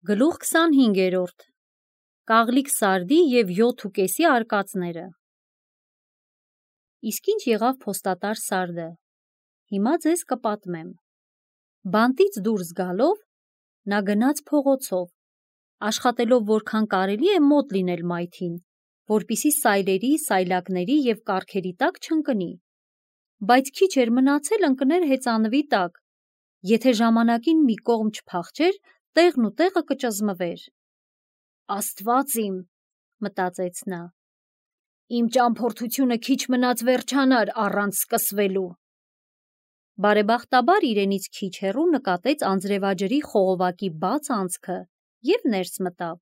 Գլուխ 25-րդ Կաղլիկ սարդի և 7.5 արկածները։ Իսկ ինչ եղավ փոստատար սարդը։ Հիմա ձեզ կպատմեմ։ Բանտից դուրս գալով նա գնաց փողոցով, աշխատելով որքան կարելի է մոտ լինել մայթին, որպեսզի սայլերի, սայլակների և կառքերի տակ չընկնի, բայց քիչ էր մնացել ընկներ հեծանվի տակ, եթե ժամանակին մի կողմ չփախչեր, տեղն ու տեղը կճզմվեր։ Աստված իմ, մտածեց նա, իմ ճամփորդությունը քիչ մնաց վերջանար առանց սկսվելու։ Բարեբախտաբար իրենից քիչ հեռու նկատեց անձրևաջրի խողովակի բաց անցքը և ներս մտավ։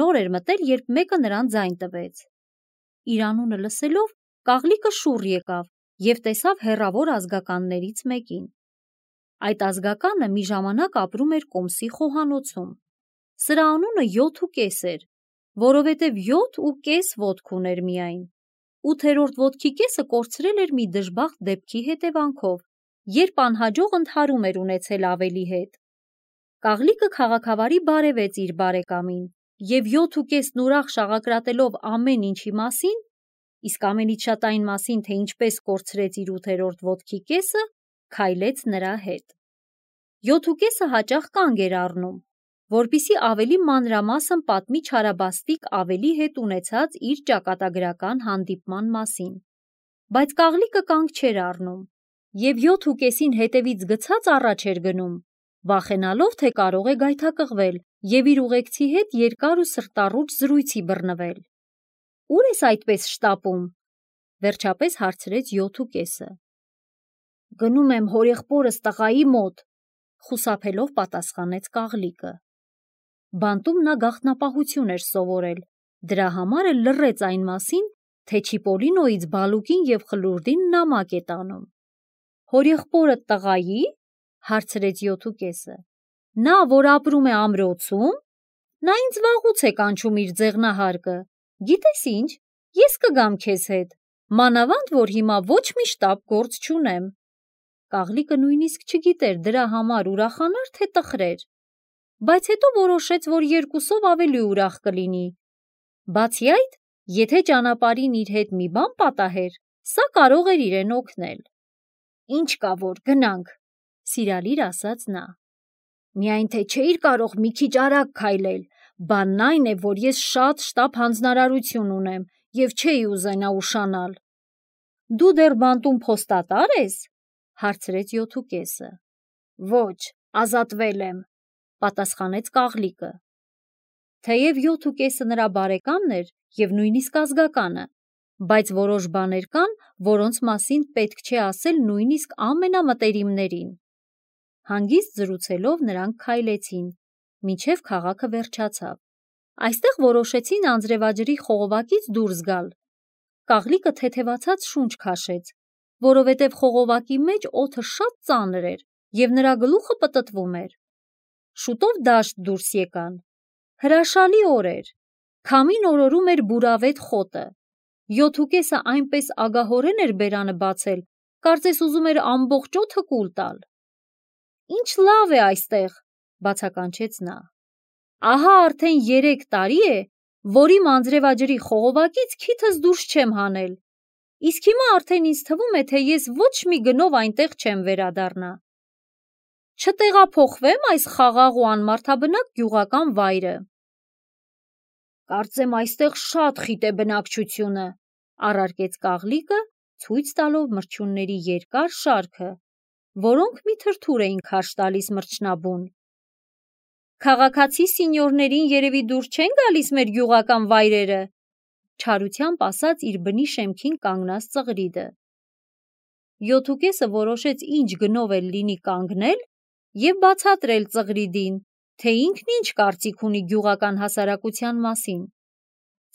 Նոր էր մտել, երբ մեկը նրան ձայն տվեց։ Իր անունը լսելով, կաղլիկը շուռ եկավ և տեսավ հեռավոր ազգականներից մեկին։ Այդ ազգականը մի ժամանակ ապրում էր Կոմսի խոհանոցում։ Սրա անունը 7.5 էր, որովհետև 7.5 ոտք ուներ միայն։ 8-րդ ոտքի կեսը կորցրել էր մի դժբախտ դեպքի հետևանքով, երբ անհաջող ընդհարում էր ունեցել ավելի հետ։ Կաղլիկը քաղաքավարի բարևեց իր բարեկամին և 7.5-ն ուրախ շաղակրատելով ամեն ինչի մասին, իսկ ամենից շատ այն մասին, թե ինչպես կորցրեց իր 8-րդ ոտքի կեսը, քայլեց նրա հետ։ 7.5-ը հաճախ կանգ էր առնում, որպեսզի ավելի մանրամասն պատմի չարաբաստիկ ավելի հետ ունեցած իր ճակատագրական հանդիպման մասին, բայց կաղլիկը կանգ չէր առնում և 7.5-ին հետևից գցած առաջ էր գնում, վախենալով, թե կարող է գայթակղվել և իր ուղեկցի հետ երկար ու սրտառուչ զրույցի բռնվել։ Ո՞ւր ես այդպես շտապում, վերջապես հարցրեց 7.5-ը։ Գնում եմ հորեղբորս տղայի մոտ, խուսափելով պատասխանեց կաղլիկը։ Բանտում նա գաղտնապահություն էր սովորել, դրա համար էլ լռեց այն մասին, թե Չիպոլինոյից բալուկին և խլուրդին նամակ է տանում։ Հորեղբորդ տղայի՞, հարցրեց 7.5-ը։ Նա, որ ապրում է ամրոցում, նա ինձ վաղուց է կանչում իր ձեղնահարկը, գիտես ինչ, ես կգամ քեզ հետ, մանավանդ որ հիմա ոչ մի շտապ գործ չունեմ։ Կաղլիկը նույնիսկ չգիտեր դրա համար ուրախանար, թե տխրեր, բայց հետո որոշեց, որ երկուսով ավելի ուրախ կլինի։ Բացի այդ, եթե ճանապարհին իր հետ մի բան պատահեր, սա կարող էր իրեն օգնել։ Ինչ կա որ գնանք, սիրալիր ասաց նա։ Միայն թե չէիր կարող մի քիչ արագ քայլել, բանն այն է, որ ես շատ շտապ հանձնարարություն ունեմ և չէի ուզենա ուշանալ։ Դու դեռ բանտում փոստատար ես, հարցրեց 7.5-ը։ Ոչ, ազատվել եմ, պատասխանեց կաղլիկը։ Թեև 7.5-ը նրա բարեկամն էր և նույնիսկ ազգականը, բայց որոշ բաներ կան, որոնց մասին պետք չէ ասել նույնիսկ ամենամտերիմներին։ Հանգիստ զրուցելով նրանք քայլեցին, մինչև քաղաքը վերջացավ։ Այստեղ որոշեցին անձրևաջրի խողովակից դուրս գալ։ Կաղլիկը թեթևացած շունչ քաշեց, որովհետև խողովակի մեջ օդը շատ ծանր էր և նրա գլուխը պտտվում էր։ Շուտով դաշտ դուրս եկան։ Հրաշալի օր էր։ Քամին օրորում էր բուրավետ խոտը։ 7.5-ը այնպես ագահորեն էր բերանը բացել, կարծես ուզում էր ամբողջ օդը կուլ տալ։ Ինչ լավ է այստեղ, բացականչեց նա։ Ահա արդեն 3 տարի է, որ իմ անձրևաջրի խողովակից քիթս դուրս չեմ հանել, իսկ հիմա արդեն ինձ թվում է, թե ես ոչ մի գնով այնտեղ չեմ վերադառնա։ Չտեղափոխվե՞մ այս խաղաղ ու անմարդաբնակ գյուղական վայրը։ Կարծեմ այստեղ շատ խիտ է բնակչությունը, առարկեց կաղլիկը, ցույց տալով մրջյունների երկար շարքը, որոնք մի թրթուր էին քարշ տալիս մրջնաբուն։ Քաղաքացի սինյորներին երևի դուր չեն գալիս մեր գյուղական վայրերը, չարությամբ ասաց իր բնի շեմքին կանգնած ծղրիդը։ 7.5-ը որոշեց ինչ գնով էլ լինի կանգնել և բացատրել ծղրիդին, թե ինքն ինչ կարծիք ունի գյուղական հասարակության մասին։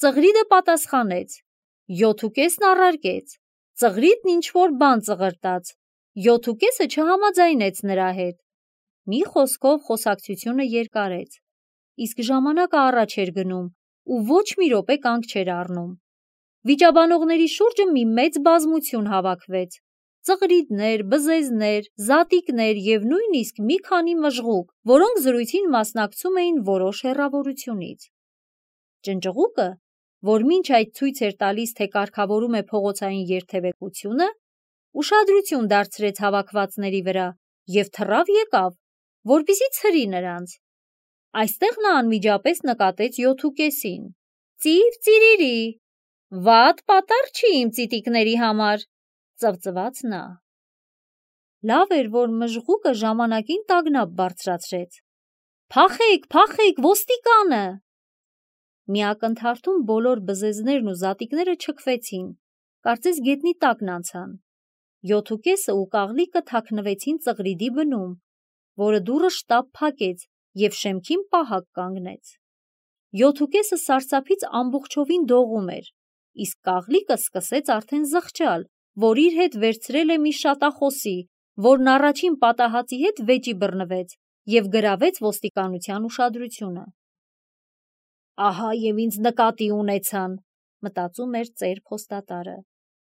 Ծղրիդը պատասխանեց։ 7.5-ն առարկեց։ Ծղրիդն ինչ-որ բան ծղրտաց։ 7.5-ը չհամաձայնեց նրա հետ։ Մի խոսքով խոսակցությունը երկարեց, իսկ ժամանակը առաջ էր գնում ու ոչ մի րոպե կանգ չէր առնում։ Վիճաբանողների շուրջը մի մեծ բազմություն հավաքվեց, ծղրիդներ, բզեզներ, զատիկներ և նույնիսկ մի քանի մժղուկ, որոնք զրույցին մասնակցում էին որոշ հեռավորությունից։ Ճնճղուկը, որ մինչ այդ ցույց էր տալիս, թե կարգավորում է փողոցային երթևեկությունը, ուշադրություն դարձրեց հավաքվածների վրա և թռավ եկավ, որպեսզի ցրի նրանց։ Այստեղ նա անմիջապես նկատեց 7.5-ին։ «Ծիր ծիրիրի, վատ պատառ չի իմ ծիտիկների համար», ծվծվաց նա։ Լավ էր, որ մժղուկը ժամանակին տագնապ բարձրացրեց։ «Փախեք, փախեք, ոստիկանը»։ Մի ակնթարթում բոլոր բզեզներն ու զատիկները չքվեցին, կարծես գետնի տակն անցան։ 7.5-ը ու կաղլիկը թաքնվեցին ծղրիդի բնում, որը դուռը շտապ փակեց և շեմքին պահակ կանգնեց։ 7.5-ը սարսափից ամբողջովին դողում էր, իսկ կաղլիկը սկսեց արդեն զղջալ, որ իր հետ վերցրել է մի շատախոսի, որն առաջին պատահածի հետ վեճի բռնվեց և գրավեց ոստիկանության ուշադրությունը։ «Ահա և ինձ նկատի ունեցան», մտածում էր ծեր փոստատարը։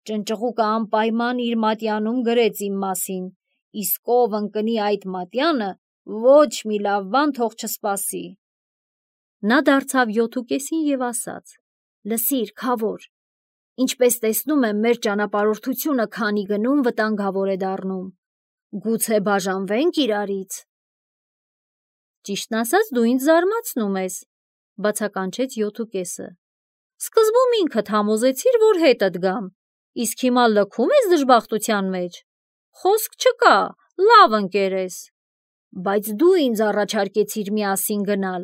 «Ճնճղուկը անպայման իր մատյանում գրեց իմ մասին, իսկ ով ընկնի այդ մատյանը, ոչ մի լավ բան թող չսպասի»։ Նա դարձավ 7.5-ին և ասաց. «Լսիր, քավոր, ինչպես տեսնում եմ, մեր ճանապարհորդությունը քանի գնում վտանգավոր է դառնում։ Գուցե բաժանվե՞նք իրարից»։ «Ճիշտն ասած, դու ինձ զարմացնում ես», բացականչեց 7.5-ը։ «Սկզբում ինքդ համոզեցիր, որ հետդ գամ, իսկ հիմա լքում ես դժբախտության մեջ։ Խոսք չկա, լավ ընկեր ես։ Բայց դու ինձ առաջարկեցիր միասին գնալ։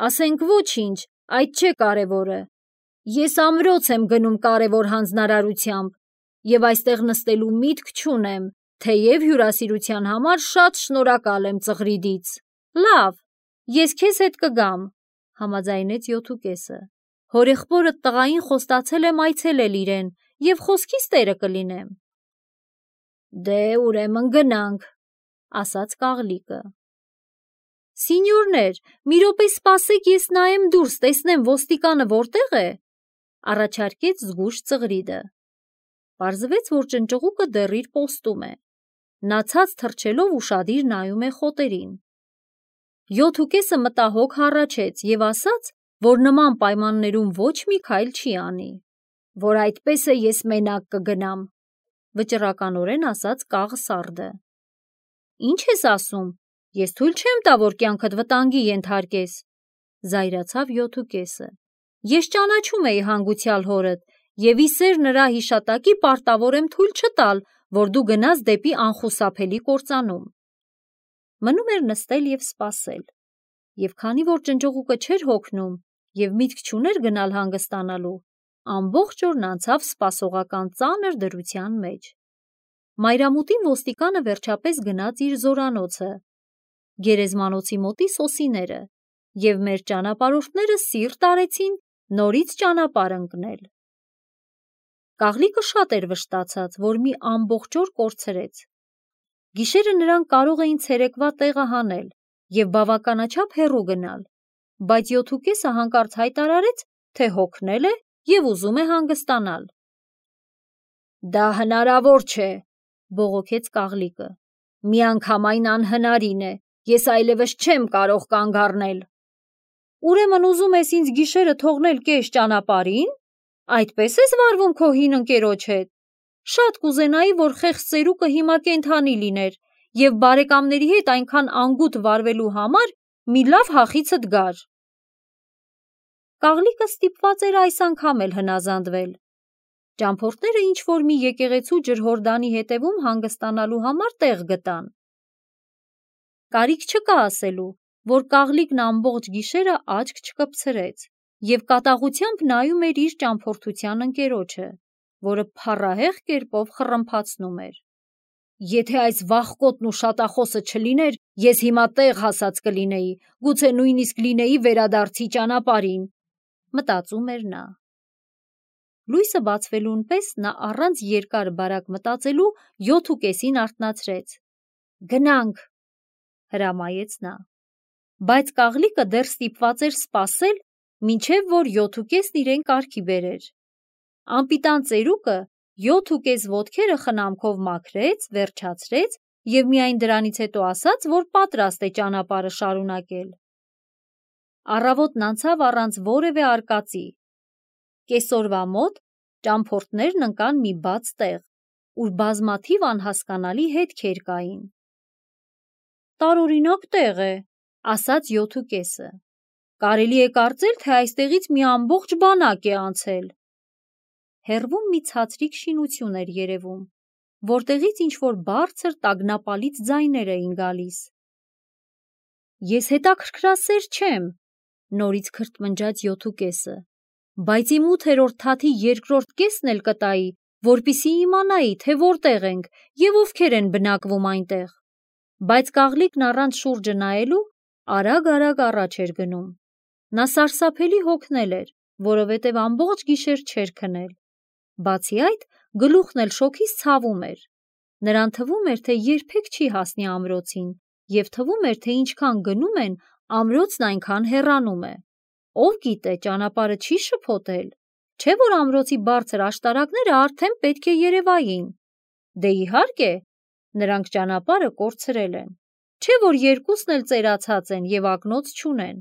Ասենք ոչինչ, այդ չէ կարևորը։ Ես ամրոց եմ գնում կարևոր հանձնարարությամբ և այստեղ նստելու միտք չունեմ, թեև հյուրասիրության համար շատ շնորհակալ եմ ծղրիդից։ Լավ, ես քեզ հետ կգամ», համաձայնեց 7.5-ը։ «Հորեղբորդ տղային խոստացել եմ այցելել իրեն և խոսքիս տերը կլինեմ»։ «Դե ուրեմն գնանք», ասաց կաղլիկը։ «Սինյորներ, մի րոպե սպասեք, ես նայեմ դուրս, տեսնեմ ոստիկանը որտեղ է», առաջարկեց զգույշ ծղրիդը։ Պարզվեց, որ ճնճղուկը դեռ իր պոստում է։ Նա ցած թռչելով ուշադիր նայում է խոտերին։ 7.5-ը մտահոգ հառաչեց և ասաց, որ նման պայմաններում ոչ մի քայլ չի անի։ «Որ այդպես է, ես մենակ կգնամ», վճռականորեն ասաց կաղ սարդը։ «Ինչ ես ասում, ես թույլ չեմ տա, որ կյանքդ վտանգի ենթարկես», զայրացավ 7.5-ը։ «Ես ճանաչում էի հանգուցյալ հորդ և ի սեր նրա հիշատակի պարտավոր եմ թույլ չտալ, որ դու գնաս դեպի անխուսափելի կործանում»։ Մնում էր նստել և սպասել։ Եվ քանի որ ճնճղուկը չէր հոգնում և միտք չուներ գնալ հանգստանալու, ամբողջ օրն անցավ սպասողական ծանր դրության մեջ։ Մայրամուտին ոստիկանը վերջապես գնաց իր զորանոցը, գերեզմանոցի մոտի սոսիները, և մեր ճանապարհորդները սիրտ արեցին նորից ճանապարհ ընկնել։ Կաղլիկը շատ էր վշտացած, որ մի ամբողջ օր կորցրեց։ Գիշերը նրանք կարող էին ցերեկվա տեղը հանել և բավականաչափ հեռու գնալ, բայց 7.5-ը հանկարծ հայտարարեց, թե հոգնել է և ուզում է հանգստանալ։ «Դա հնարավոր չէ», բողոքեց կաղլիկը։ «Միանգամայն անհնարին է, ես այլևս չեմ կարող կանգ առնել»։ «Ուրեմն ուզում ես ինձ գիշերը թողնել կես ճանապարհին, այդպես ես վարվում քո հին ընկերոջ հետ։ Շատ կուզենայի, որ խեղճ ծերուկը հիմա կենդանի լիներ և բարեկամների հետ այնքան անգութ վարվելու համար մի լավ հախիցդ գար»։ Կաղլիկը ստիպված էր այս անգամ էլ հնազանդվել։ Ճամփորդները ինչ-որ մի եկեղեցու ջրհորդանի հետևում հանգստանալու համար տեղ գտան։ Կարիք չկա ասելու, որ կաղլիկն ամբողջ գիշերը աչք չկպցրեց և կատաղությամբ նայում էր իր ճամփորդության ընկերոջը, որը փառահեղ կերպով խռմփացնում էր։ «Եթե այս վախկոտն ու շատախոսը չլիներ, ես հիմա տեղ հասած կլինեի, գուցե նույնիսկ լինեի վերադարձի ճանապարհին», մտածում էր նա։ Լույսը բացվելուն պես նա առանց երկար բարակ մտածելու 7.5-ին արթնացրեց։ «Գնանք», հրամայեց նա։ Բայց կաղլիկը դեռ ստիպված էր սպասել, մինչև որ 7.5-ն իրեն կարգի բերեր։ Անպիտան ծերուկը, 7.5 ոտքերը խնամքով մաքրեց, վերջացրեց և միայն դրանից հետո ասաց, որ պատրաստ է ճանապարհը շարունակել։ Առավոտն անցավ առանց որևէ արկածի։ Կեսօրվա մոտ ճամփորդներն ընկան մի բաց տեղ, ուր բազմաթիվ անհասկանալի հետքեր կային։ «Տարօրինակ տեղ է», ասաց 7.5-ը։ «Կարելի է կարծել, թե այստեղից մի ամբողջ բանակ է անցել»։ Հեռվում մի ցածրիկ շինություն էր երևում, որտեղից ինչ-որ բարձր տագնապալից ձայներ էին գալիս։ «Ես հետաքրքրասեր չեմ», նորից քրթմնջաց 7.5-ը, «բայց իմ 8-րդ թաթի երկրորդ կեսն էլ կտայի, որպեսզի իմանայի, թե որտեղ ենք և ովքեր են բնակվում այնտեղ»։ Բայց կաղլիկն առանց շուրջը նայելու արագ-արագ առաջ էր գնում։ Նա սարսափելի հոգնել էր, որովհետև ամբողջ գիշեր չէր քնել։ Բացի այդ, գլուխն էլ շոգից ցավում էր։ Նրան թվում էր, թե երբեք չի հասնի ամրոցին, և թվում էր, թե ինչքան գնում են, ամրոցն այնքան հեռանում է։ Ով գիտե, ճանապարհը չի շփոթել, չէ՞ որ ամրոցի բարձր աշտարակները արդեն պետք է երևային։ Դե իհարկե, նրանք ճանապարհը կորցրել են, չէ՞ որ երկուսն էլ ծերացած են և ակնոց չունեն,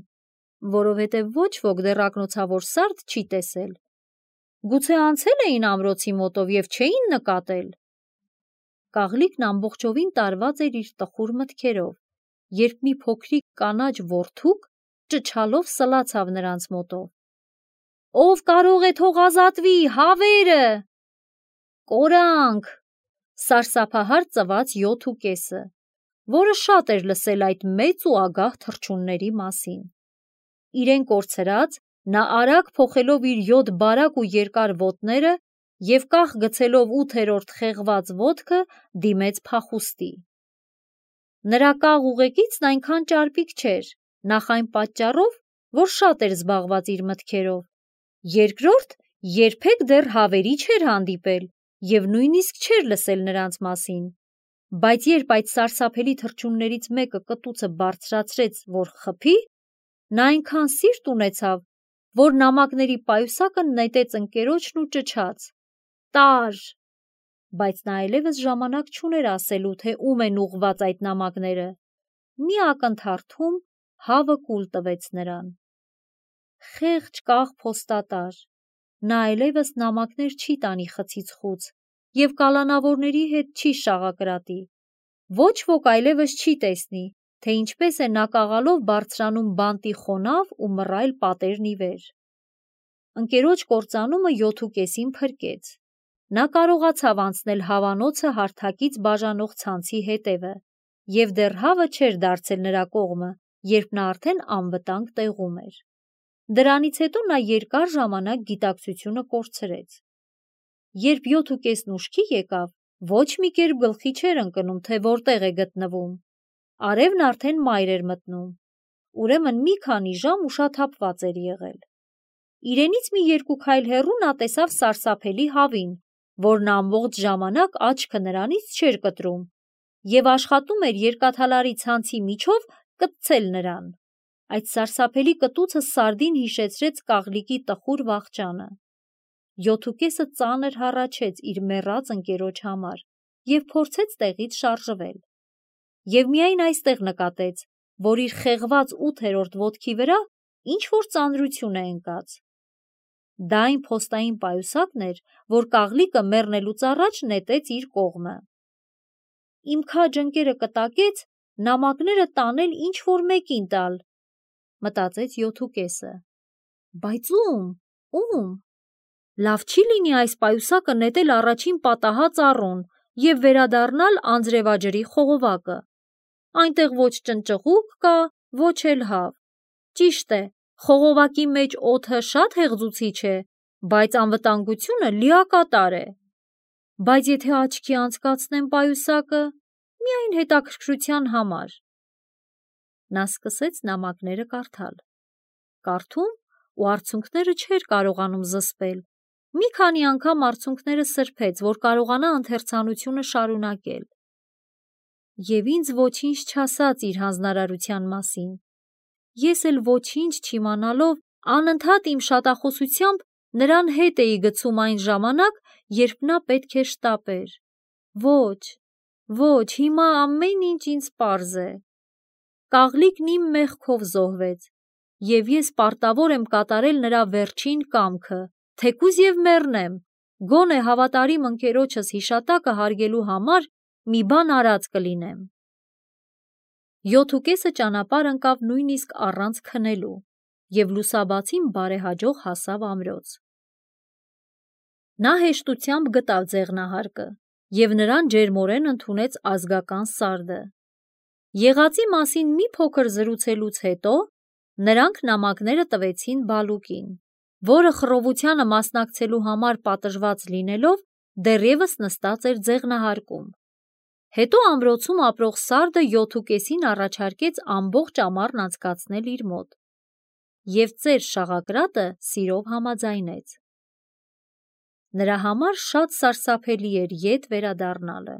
որովհետև ոչ ոք դեռ ակնոցավոր սարդ չի տեսել։ Գուցե անցել էին ամրոցի մոտով և չէին նկատել։ Կաղլիկն ամբողջովին տարված էր իր տխուր մտքերով, երբ մի փոքրիկ կանաչ որդուկ ճչալով սլացավ նրանց մոտով. «Ով կարող է թող ազատվի, հավերը»։ «Կորանք», սարսափահար ծվաց 7.5-ը, որը շատ էր լսել այդ մեծ ու ագահ թռչունների մասին։ Իրեն կորցրած, նա արագ փոխելով իր 7 բարակ ու երկար ոտները և կախ գցելով 8-րդ խեղված ոտքը դիմեց փախուստի։ Նրա կաղ ուղեկիցն այնքան ճարպիկ չէր, նախ այն պատճառով, որ շատ էր զբաղված իր մտքերով, երկրորդ, երբեք դեռ հավերի չէր հանդիպել և նույնիսկ չէր լսել նրանց մասին, բայց երբ այդ սարսափելի թռչուններից մեկը կտուցը բարձրացրեց, որ խփի, նա այնքան սիրտ ունեցավ, որ նամակների պայուսակը նետեց ընկերոջն ու ճչաց. «Տար»։ Բայց նա այլևս ժամանակ չուներ ասելու, թե ում են ուղղված այդ նամակները։ Մի ակնթարթում հավը կուլ տվեց նրան։ Խեղճ կաղ փոստատար, նա այլևս նամակներ չի տանի խցից խուց և կալանավորների հետ չի շաղակրատի։ Ոչ ոք այլևս չի տեսնի, թե ինչպես է նա կաղալով բարձրանում բանտի խոնավ ու մռայլ պատերն ի վեր։ Ընկերոջ կործանումը 7.5-ին փրկեց։ Նա կարողացավ անցնել հավանոցը հարթակից բաժանող ցանցի հետևը, և դեռ հավը չէր դարձել նրա կողմը, երբ նա արդեն անվտանգ տեղում էր։ Դրանից հետո նա երկար ժամանակ գիտակցությունը կորցրեց։ Երբ 7.5-ն ուշքի եկավ, ոչ մի կերպ գլխի չէր ընկնում, թե որտեղ է գտնվում։ Արևն արդեն մայր էր մտնում, ուրեմն մի քանի ժամ ուշաթափված էր եղել։ Իրենից մի 2 քայլ հեռու նա տեսավ սարսափելի հավին, որն ամբողջ ժամանակ աչքը նրանից չէր կտրում և աշխատում էր երկաթալարի ցանցի միջով կպցել նրան։ Այդ սարսափելի կտուցը սարդին հիշեցրեց կաղլիկի տխուր վախճանը։ 7.5-ը ծանր հառաչեց իր մեռած ընկերոջ համար և փորձեց տեղից շարժվել։ Եվ միայն այստեղ նկատեց, որ իր խեղված 8-րդ ոտքի վրա ինչ-որ ծանրություն է ընկած։ Դա այն փոստային պայուսակն էր, որ կաղլիկը մեռնելուց առաջ նետեց իր կողմը։ Իմ քաջ ընկերը կտակեց նամակները տանել ինչ-որ մեկին տալ, մտածեց 7.5-ը։ Բայց ում։ Լավ չի լինի այս պայուսակը նետել առաջին պատահած առուն և վերադառնալ անձրևաջրի խողովակը։ Այնտեղ ոչ ճնճղուկ կա, ոչ էլ հավ։ Ճիշտ է, խողովակի մեջ օդը շատ հեղձուցիչ է, բայց անվտանգությունը լիակատար է։ Բայց եթե աչքի անցկացնեմ պայուսակը, միայն հետաքրքրության համար։ Նա սկսեց նամակները կարդալ։ Կարդում ու արցունքները չէր կարողանում զսպել։ Մի քանի անգամ արցունքները սրբեց, որ կարողանա ընթերցանությունը շարունակել։ Եվ ինձ ոչինչ չասաց իր հանձնարարության մասին։ Ես էլ ոչինչ չիմանալով անընդհատ իմ շատախոսությամբ Նրան հետ էի գցում այն ժամանակ, երբ նա պետք է շտապեր։ Ոչ, հիմա ամեն ինչ ինձ պարզ է։ Կաղլիկն իմ մեղքով զոհվեց, և ես պարտավոր եմ կատարել նրա վերջին կամքը, թեկուզ և մեռնեմ, գոնե հավատարիմ ընկերոջս հիշատակը հարգելու համար մի բան արած կլինեմ։ 7.5 ճանապարհ ընկավ նույնիսկ առանց քնելու, և լուսաբացին բարեհաջող հասավ ամրոց։ Նա հեշտությամբ գտավ ձեղնահարկը և նրան ջերմորեն ընդունեց ազգական սարդը։ Եղածի մասին մի փոքր զրուցելուց հետո նրանք նամակները տվեցին Բալուկին, որը խռովությանը մասնակցելու համար պատժված լինելով դեռևս նստած էր ձեղնահարկում։ Հետո ամրոցում ապրող սարդը 7.5-ին առաջարկեց ամբողջ ամառն անցկացնել իր մոտ, և ծեր շաղակրատը սիրով համաձայնեց։ Նրա համար շատ սարսափելի էր ետ վերադառնալը։